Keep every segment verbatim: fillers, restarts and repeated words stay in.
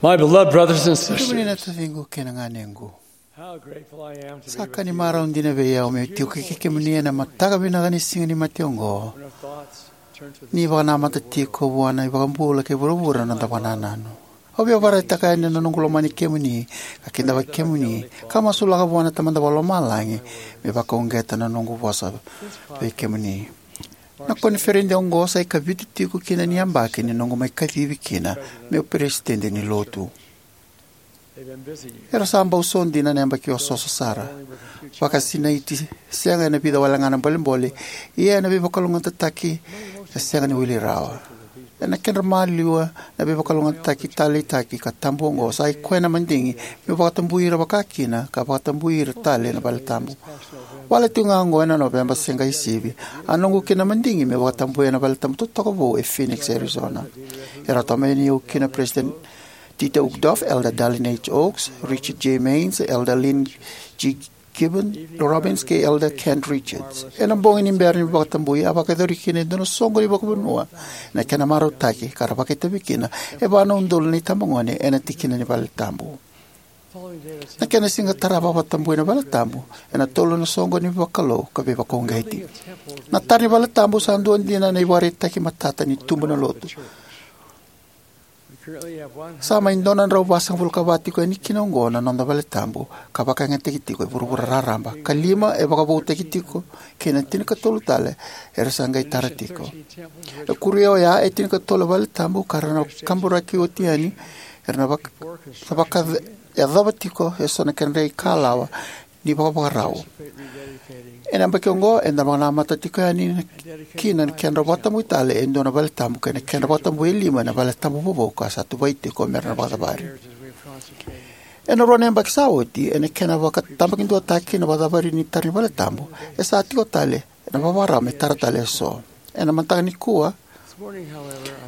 My beloved brothers and sisters, kemuni na taciqu kei na ganequ, how grateful I am to be sa ka ni marau dina vei au meu tiko kei kemuni ena mataka vinaka ni Siga ni Mate oqo. Ni vakanamata tiko vua na iVakabula kei vuravura na noda vakanananu. Au via vakaraitaka yani na noqu lomani kemuni, ka kidavaki kemuni, ka masulaka vua na Tamada Vakalomalagi me vakauqeta na noqu vosa vei kemuni. Na koniferedi oqo sa ikavitu tiko kina ni yabaki ni noqu mai kacivi kina meu peresitedi ni Lotu. Era sa bau so dina na yabaki osooso sara. Vakasinaiti sega ena vica wale ga na bolebole, ia ena veivakalougatataki e sega ni wili rawa. Ena kedra maliwa na veivakalougatataki taleitaki ka tabu oqo, sa ikoya na madigi meu vakatabui ira vakakina ka vakatabui ira tale na valetabu. Wale tiko ga oqo ena Noveba se qai sivi, a noqu kina madigi meu vakatabuya na valetabu totoka vou e Phoenix, Arizona. Era tomani au kina President Dieter Uchtdorf, Elder Dallin H. Oaks, Richard J. Maynes, Elder Lynn G. Gibbon Robbins kei Elder Kent Richards. Ena bogi ni bera ni vakatabui, a vakayacori kina e dua na soqo ni vakavanua ena kena marautaki, ka ra vakaitavi kina e va na udolu na itabagone ena tikina ni valetabu. Na kena siga tarava a vakatabui na valetabu ena tolu na soqo ni vakalou ka veivakauqeti. Na tara ni valetabu sa dua dina na ivakaraitaki matata ni tubu na Lotu. Sa mai dua na drau vasagavulu ka va tiko yani kina oqo na noda valetabu ka vakayagataki tiko e vuravura raraba, ka lima e vakavoutaki tiko kei na tinikatolu tale era sa qai tara tiko. E kuria oya e tinikatolu e valetabu ka ra na kaburaki oti yani, era na vaka, sa vakayacova tiko eso na kedra ikalawa ni vakavakarau. Ena yabaki oqo eda vakanamata tiko yani kina na kedra vakatabui tale e dua na valetabu kei na kedra vakatabui e lima ena valetabu vovou ka sa tuvai tiko mera na vakacavari. Ena rua na yabaki sa oti, ena kena vakatabakiduataki na vakacavari ni tara ni valetabu, e sa tiko tale ena vakavakarau me tara tale eso. Ena mataka nikua,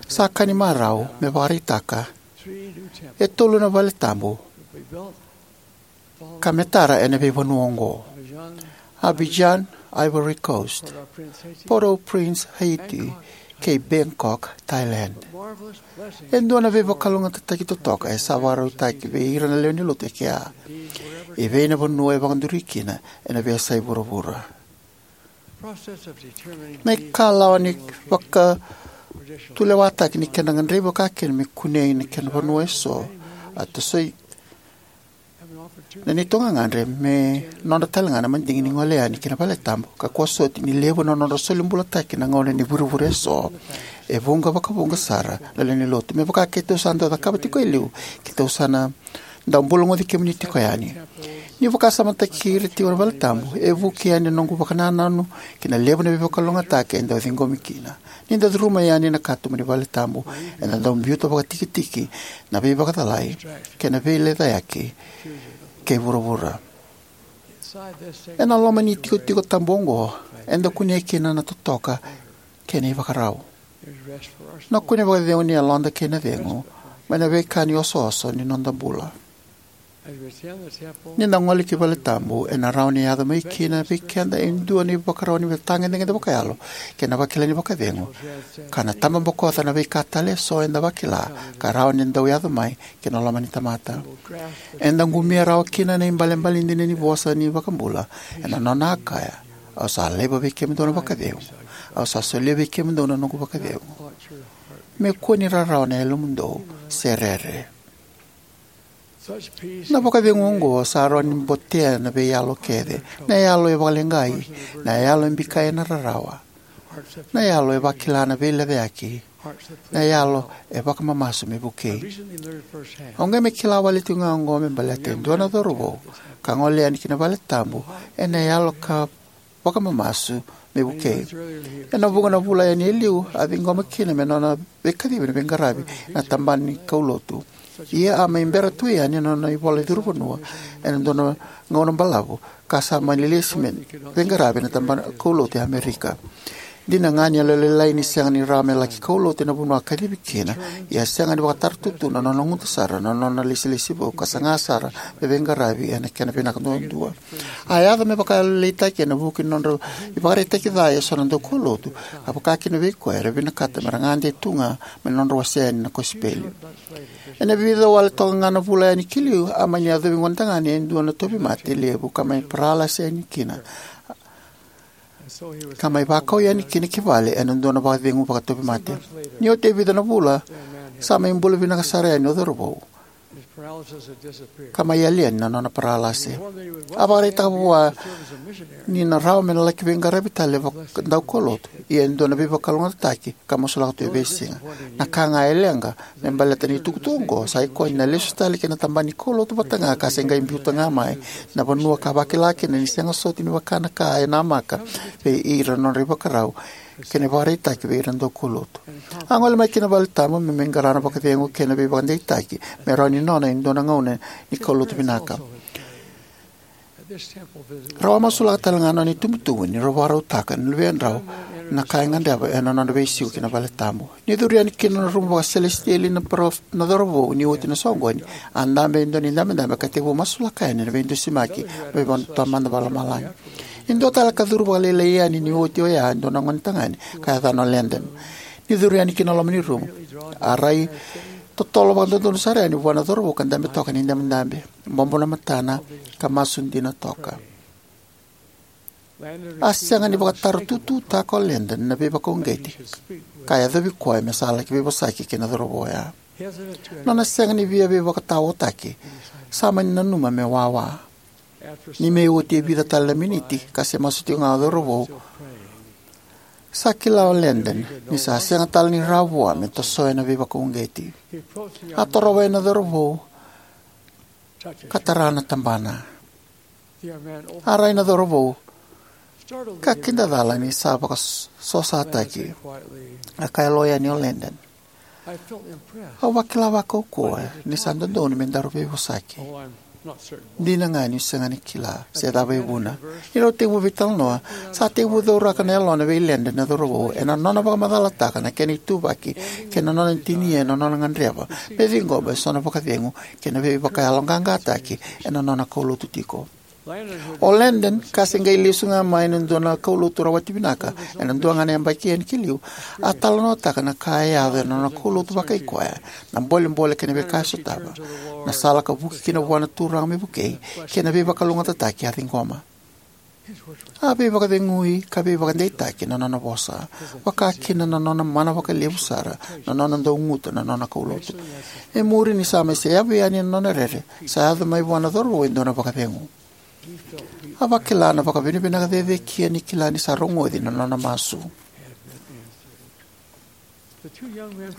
sa ka ni marau me vakaraitaka e tolu na valetabu ka me tara ena veivanua oqo: Abidjan, Ivory Coast; Port-au-Prince, Haiti; kei Bangkok, Thailand. E dua na veivakalougatataki totoka e sa vakarautaki vei ira na lewe ni Lotu e kea. E vei na vanua e vakaduri kina ena veiyasai vuravura. Na ikalawa ni vakatulewataki ni kedra gadrevi vakakina me kunei na kena vanua eso a tosoi na neitou gagadre me nodra talega na madigi ni gole yani ki na valetabu, ka kua soti ni levu na nodra soli bulataki na gauna ni vurevure eso. E vuqa vakavuqa sara na lewe ni Lotu, me vaka keitou sa dau cakava tiko e liu, keitou sa na dau bulagoci kemuni tiko yani. Niu vakasamataki ira tiko na valetabu, e vuki yani na noqu vakanananu ki na levu na veivakalougatataki e dau ciqomi kina. Ni da curuma yani na katuba ni valetabu, eda dau biuta vakatikitiki na veivakacalai kei na veilecayaki kei vuravura. Ena loma ni tikotiko tabu oqo, eda kunea kina na totoka kei na ivakarau. Na kune vakacegu ni yaloda kei na cegu mai na veika ni osooso ni noda bula. Ni da gole ki valetabu, ena rawa ni yaco mai kina vei keda e dua na ivakarau ni veitagedegede vakayalo kei na vakilai ni vakacegu, ka na tababokoca na veika tale eso eda vakila ka rawa ni dau yaco mai ki na loma ni tamata. Eda qumia rawa kina na ibalebale dina ni vosa ni iVakabula, ena nona a kaya: "Au sa laiva vei kemudou na vakacegu, au sa solia vei kemudou na noqu vakacegu. Me kua ni rarawa na yalomudou se rere." Na vakacegu oqo sa rawa ni botea na veiyalo kece: na yalo e vakaleqai, na yalo e bikai ena rarawa, na yalo e vakila na veilecayaki, na yalo e vakamamasu me vukei. Au qai mai kila wale tiko ga oqo me baleta e dua na cauravou ka gole yani ki na valetabu ena yalo ka vakamamasu me vukei. Ena vuqa na vula yani e liu, a ciqoma kina me nona veikacivi na veiqaravi ena tabana ni kaulotu. Ia a mai bera tu yani na nona ivola ni curu vanua ena dua na gauna balavu, ka sa mani lesi me veiqaravi ena tabana kaulotu e Amerika. Dina ga ni yalolailai ni sega ni rawa me laki kaulotu ena vanua a kacivi kina, ia a sega ni vakataratutu na nona guta sara na nona ilesilesi vou ka saga sara me veiqaravi ena kena vinaka duadua. A yaco me vakayalolailaitaki ena vuku ni nodra ivakaraitaki ca eso na daukaulotu, ka vakakina vei koya era vinakata me ra gade tu ga mai na nodra wasea yani na kosipeli. Ena vica wale toka ga na vula yani ki liu, a mani yacovi gonetagane e dua na tauvimate levu ka mai paralasi yani kina, ka mai vakau yani kina ki vale ena dua na vakacegu vakatauvimate. Ni oti e vica na vula, sa mai bula vinaka sara yani o cauravou, ka mai yali yani na nona paralasi. A vakaraitaka vua ni na rawa me na laki veiqaravi tale vaka daukaulotu, ia e dua na veivakalougatataki ka masulaka tu e veisiga. Na ka ga e leqa me baleta na itukutuku oqo sa ikoya ni na lesu tale ki na tabana ni kaulotu vata ga ka se qai biuta ga mai na vanua ka vakila kina ni sega soti ni vaka na ka e namaka vei ira na nodra ivakarau kei na ivakaraitaki vei ira na daukaulotu. A gole mai ki na valetabu me mai qara na vakacegu kei na veivakadeitaki me rawa ni nona e dua na gauna ni kaulotu vinaka. Rau a masulaka tale ga na nona itubutubu ni rau vakarautaka na luvedrau na ka e gadreva ena nodra veisiko ki na valetabu. Ni curu yani ki na rumu vakaselesitieli na paro- na cauravou ni oti na soqoni, a dabe e dua na idabedabe ka tekivu masulaka yani na veidusimaki mai vua na Tamada Vakalomalagi. E dua tale ka curu vakalailai yani ni oti oya e dua na gonetagane ka yacana o Landon. Ni curu yani ki na loma ni rumu, a rai totolo vakadodonu sara yani vua na cauravou ka dabe toka ena idabedabe, bobo na matana, ka masu dina toka. A sega ni vakatarotutuutaka o Landon na veivakauqeti ka yacovi koya me sa laki veivosaki kei na cauravou oya. Nona sega ni via veivakataotaki, sa mani nanuma me wawa. Ni mai oti e vica tale na miniti ka se masu tiko ga o cauravou, sa kila o Landon ni sa sega tale ni rawa vua me tosoya na veivakauqeti. A torova yani na cauravou ka tara na tabana. A rai na cauravou ka kidacala ni sa vakasosataki. A kaya lo yani o Landon, "Au vakila vakaukauwa ni sa dodonu me daru veivosaki. Dina ga niu sega ni kila se cava e vuna." Ni rau tekivu veitalanoa, sa tekivu cauraka na yalona vei Landon na cauravou ena nona vakamacalataka na kena ituvaki kei na nona tinia ena nona gadreva me ciqoma eso na vakacegu kei na veivakayaloqaqataki ena nona kaulotu tiko. O Landon, ka se qai lesu ga mai na dua na kaulotu rawati vinaka ena dua ga na yabaki yani ki liu, a talanoataka na ka e yaco ena nona kaulotu vakaikoya, na bolebole kei na veika e sotava, na sala ka vuki kina vua na Turaga me vukei, kei na veivakalougatataki a ciqoma. A veivakacegui ka veivakadeitaki na nona vosa, vaka kina na nona mana vakalevu sara, na nona dauguta na nona kaulotu. E muri ni sa mai seyavu yani na nona rere, sa yaco mai vua na cauravou e dua na vakacegu. A vakila na vakavinavinaka cecekia ni kila ni sa rogoci na nona masu.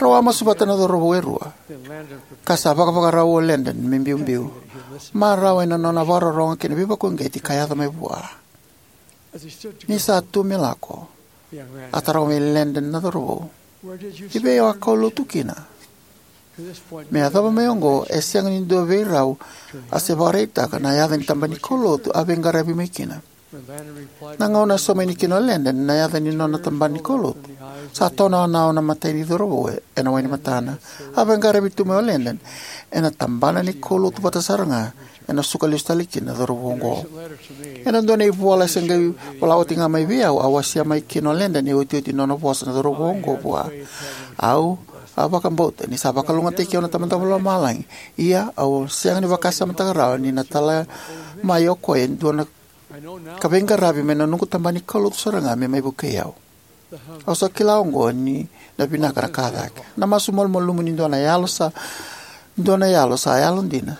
Rau a masu vata na cauravou e rua, ka sa vakavakarau o Landon me biubiu, marau ena nona vakarorogo kei na veivakauqeti ka yaco mai vua. Ni sa tu me lako, a taroga vei Landon na cauravou, "I vei o a kaulotu kina?" Me yacova mai oqo, e sega ni dua vei rau a se vakaraitaka na yaca ni tabana ni kaulotu a veiqaravi mai kina. Na gauna e sauma yani kina o Landon na yaca ni nona tabana ni kaulotu, sa tonaonao na imatai ni cauravou ena wai ni matana. A veiqaravi tu mai o Landon ena tabana ni kaulotu vata sara ga ena suka lesu tale kina na cauravou oqo. Ena dua na ivola se qai vola oti ga mai vei au, a wasea mai kina o Landon e otioti ni nona vosa na cauravou oqo vua. Au a vakabauta ni sa vakalougatataki au na Tamada Vakalomalagi, ia au sega ni vakasamataka rawa ni na tala mai o koya e dua na ka veiqaravi mai na noqu tabana ni kaulotu sara ga me mai vukei au. Au sa kila oqo ni na vinaka na ka cake. Na masu malumalumu ni dua na yalo sa, dua na yalo sa yalodina,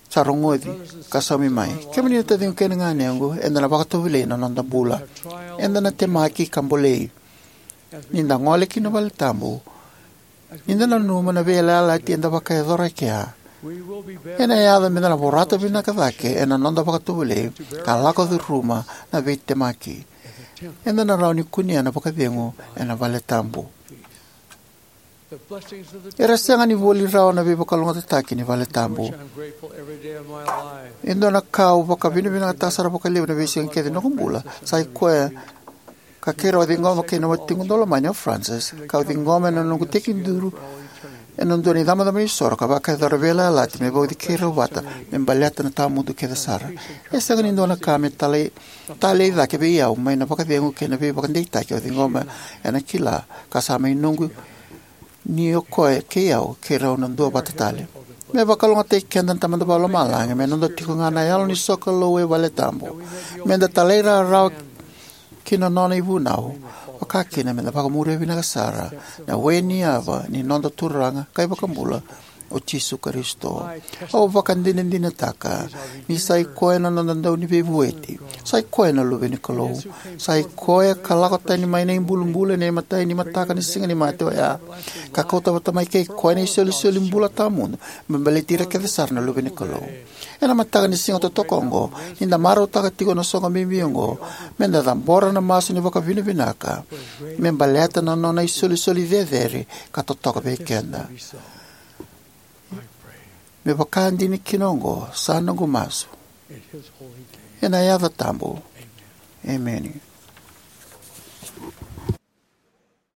sa rogoci ka saumi mai. Kemuni na taciqu kei na ganequ, eda na vakatovolei na noda bula. Eda na temaki ka bolei. Ni da gole ki na valetabu, ni da nanuma na veiyalayalati eda vakayacora e kea, ena yaco meda na vorata vinaka cake ena noda vakatovolei ka lako curuma na veitemaki. Eda na rawa ni kunea na vakacegu ena valetabu. Era sega ni voli rawa na veivakalougatataki ni valetabu. E dua na ka au vakavinavinakataka sara vakalevu na veisiga kece ni noqu bula, sa i koya ka keirau a ciqoma kei na watiqu daulomani o Francis, kau ciqoma ena noqu tekiduru ena dua na icabocabo ni soro ka vakayacora veiyalayalati me vauci keirau vata me baleta na tawamudu kece sara. E sega ni dua na ka me talei, talei cake vei au mai na vakacegu kei na veivakadeitaki au ciqoma ena kila ka sa mai noqu ni o koya kei au keirau na duavata tale. Me vakalougatataki keda na Tamada Vakalomalagi me noda tiko ga na yalo ni sokalou e vale tabu, me da talairawarawa ki na nona ivunau, vakakina me da vakamuria vinaka sara na we ni yava ni noda Turaga ka iVakabula, o Jisu Karisito. Au vakadinadinataka ni sa i koya na noda Dauniveivueti, sa i koya na Luve ni Kalou, sa i koya ka lako tani mai na ibulubulu ena imatai ni mataka ni Siga ni Mate oya, ka kauta vata mai kei koya na isolisoli bula tawamudu me baleti ira kece sara na luve ni Kalou. Ena mataka ni siga totoka oqo, ni da marautaka tiko na soqo bibi oqo, me da cabora na masu ni vakavinavinaka me baleta na nona isolisoli cecere ka totoka vei keda. Me vakadina kina oqo sa noqu masu ena yaca tabu. Emeni.